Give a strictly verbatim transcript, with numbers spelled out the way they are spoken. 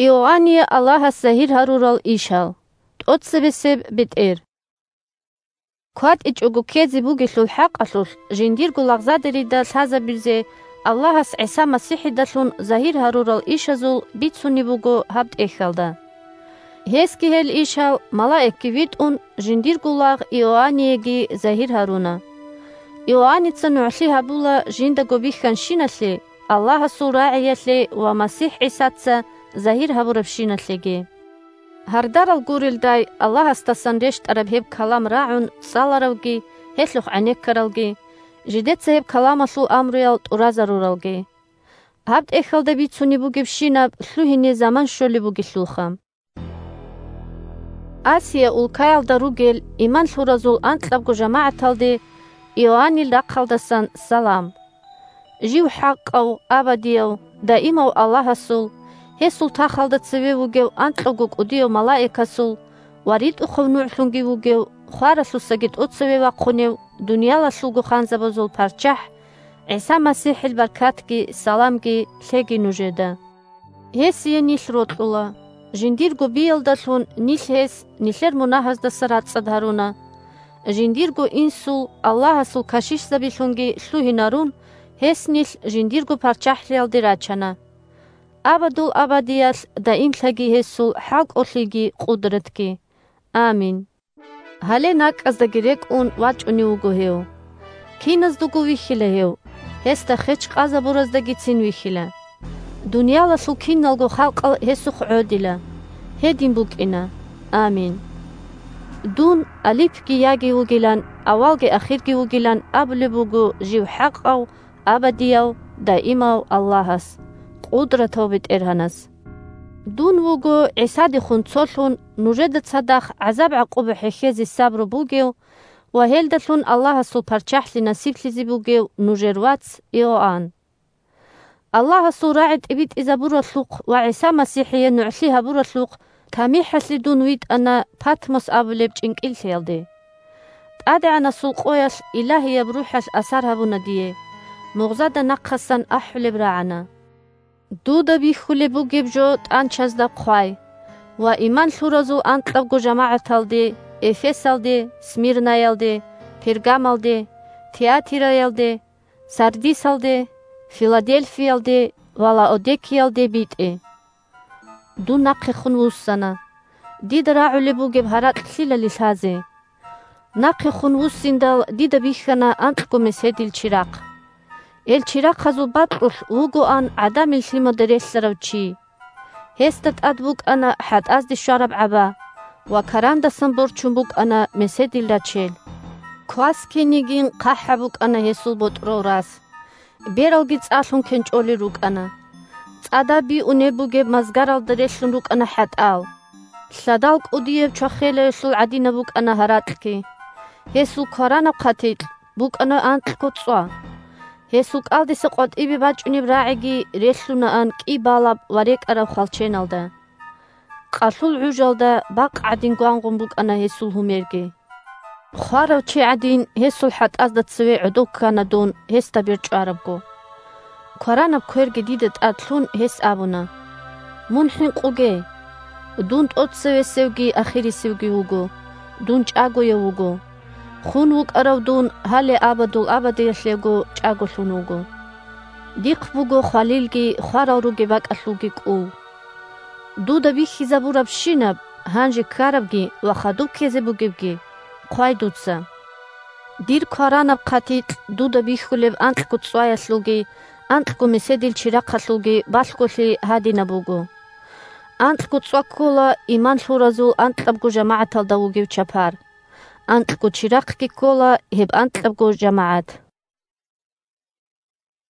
Иоанние Аллагьас загьир гьарурал ишал. ТӀоцебесеб бетӀер. КватӀичӀого ккезе бугелъул хӀакъалъулъ, жиндирго лагъзадерида лъазабизе Аллагьас ГӀиса МасихӀидалъун загьир гьарурал ишазул бицунеб буго гьаб тӀехьалда. Гьесги гьел ишал, малаикги витӀун, жиндирго лагъ Иоанниеги загьир гьаруна. Иоанница нугӀлъи гьабула жиндаго бихьанщиналъе, Аллагьасул рагӀиялъе ва МасихӀ ГӀисаца загьир гьабурабщиналъеги. Гьардарал гурелдай Аллагьасдасан рещтӀараб гьеб калам рагӀун цӀаларавги, гьелъухъ гӀенеккаралги, жидеца гьеб каламалъул амруял тӀуразаруралги. Гьаб тӀехьалда бицунеб бугебщинаб лъугьине заман щолеб бугелъулха. Асия улкаялда ругел иман лъуразул анкьабго жамагӀаталде Иоаннил рахъалдасан салам. Жив хӀакъав, абадияв, даимав Аллагьасул, гьесул тахалда цеве вугев анкьавго кӀудияв малаикасул ва ритӀухъав нугӀлъунги вугев, хваралъусаги тӀоцеве вахъунев, дуниялалъулго ханзабазул ПарччахӀ ГӀиса МасихӀил баркатги саламги лъеги нужеда. Гьесие нилъ рокьула. Жиндирго биялдалъун нилъ гьес нилъер мунагьаздаса рацӀцӀад гьаруна. Жиндирго инсул, Аллагьасул кашишзабилъунги лъугьинарун, гьес нилъ жиндирго парччахӀлъиялде рачана. Абадул абадиялъ даимлъаги гьесул хӀалкӀолъиги къудратги. Амин. Гьале накӀкӀаздаги рекӀун вачӀунев вуго гьев. Киназдаго вихьила гьев, гьесда хеч къазабураздагицин вихьила. Дуниялалъул киналго халкъал гьесухъ гӀодила. Гьедин букӀина. Амин. Дун Алипги Яги вугилан, авалги ахирги вугилан абулеб буго жив хӀакъав, абадияв, даимав Аллагьас, къудратав БетӀергьанас. Дун вуго ГӀисадехун цолъун, нужеда цадахъ гӀазаб-гӀакъуба хӀехьезе сабру бугев ва гьелдалъун Аллагьасул ПарччахӀлъи насиблъизе бугев нужер вац Иоанн. Аллагьасул рагӀи тӀибитӀизабуралъухъ ва ГӀиса МасихӀие нугӀлъи гьабуралъухъ тамихӀалъе дун витӀана Патмос абулеб чӀинкӀиллъиялде. ТӀадегӀанасул къоялъ Илагьияб РухӀалъ асар гьабуна дие, мугъзада нахъасан ахӀулеб рагӀана. Дуда бихьулеб бугеб жо тӀанчазда хъвай ва иман лъуразул анкьабго жамагӀаталде, Эфесалде, Смирнаялде, Пергамалде, Тиатираялде, Сардисалде, Филадельфиялде ва Лаодикеялде битӀе. Дун нахъехун вуссана. Дида рагӀулеб бугеб гьаракь лъилали лъазе? Нахъехун вуссиндал дида бихьана анкьго меседил чирахъ. Гьел чирахъазул бакьулъ вугоан ГӀадамил Лъимада релълъарав чи. Гьесда тӀад букӀана хӀатӀазде щвараб гӀаба ва карандасан борчун букӀана меседил рачел. Квас кинигин хъахӀаб букӀана гьесул ботӀрол рас. Бералги цӀалъун кенчӀолел рукӀана. ЦӀадаб биунеб бугеб мазгаралда релълъун рукӀана хӀатӀал. Лъадал кӀудияб чвахелаялъул гӀадинаб букӀана гьаракьги. Гьесул кваранаб хъатикь букӀана анкьго цӀва. Гьесул кӀалдиса къватӀибе бачӀунеб рагӀиги релълъунаан кӀи балаб ва рекӀараб хвалченалда. Къалъул гӀужалда бакъ гӀадин гвангъун букӀана гьесул гьумерги. Хварав чи гӀадин, гьесул хӀатӀазда цеве гӀодов ккана дун, гьесда бер чӀварабго. Кваранаб кверги дида тӀад лъун, гьес абуна: «Мун хӀинкъуге! Дун тӀоцевесевги ахирисевги вуго, дун чӀагояв вуго. Хун вукӀарав дун гьале абадул абадиялъего чӀаголъун вуго. Дихъ буго хвалилги хварал ругеб бакӀалъулги кӀул. Дуда бихьизабурабщинаб, гьанже ккарабги ва хадуб ккезе бугебги, хъвай дуца. Дир кваранаб хъатикь дуда бихьулеб анкьго цӀваялъулги, анкьго меседил чирахъалъулги балъголъи гьадинаб буго. Анкьго цӀва ккола иман лъуразул анкьабго жамагӀаталда вугев чапар. Анкьго чирахъги ккола гьеб анкьабго жамагӀат».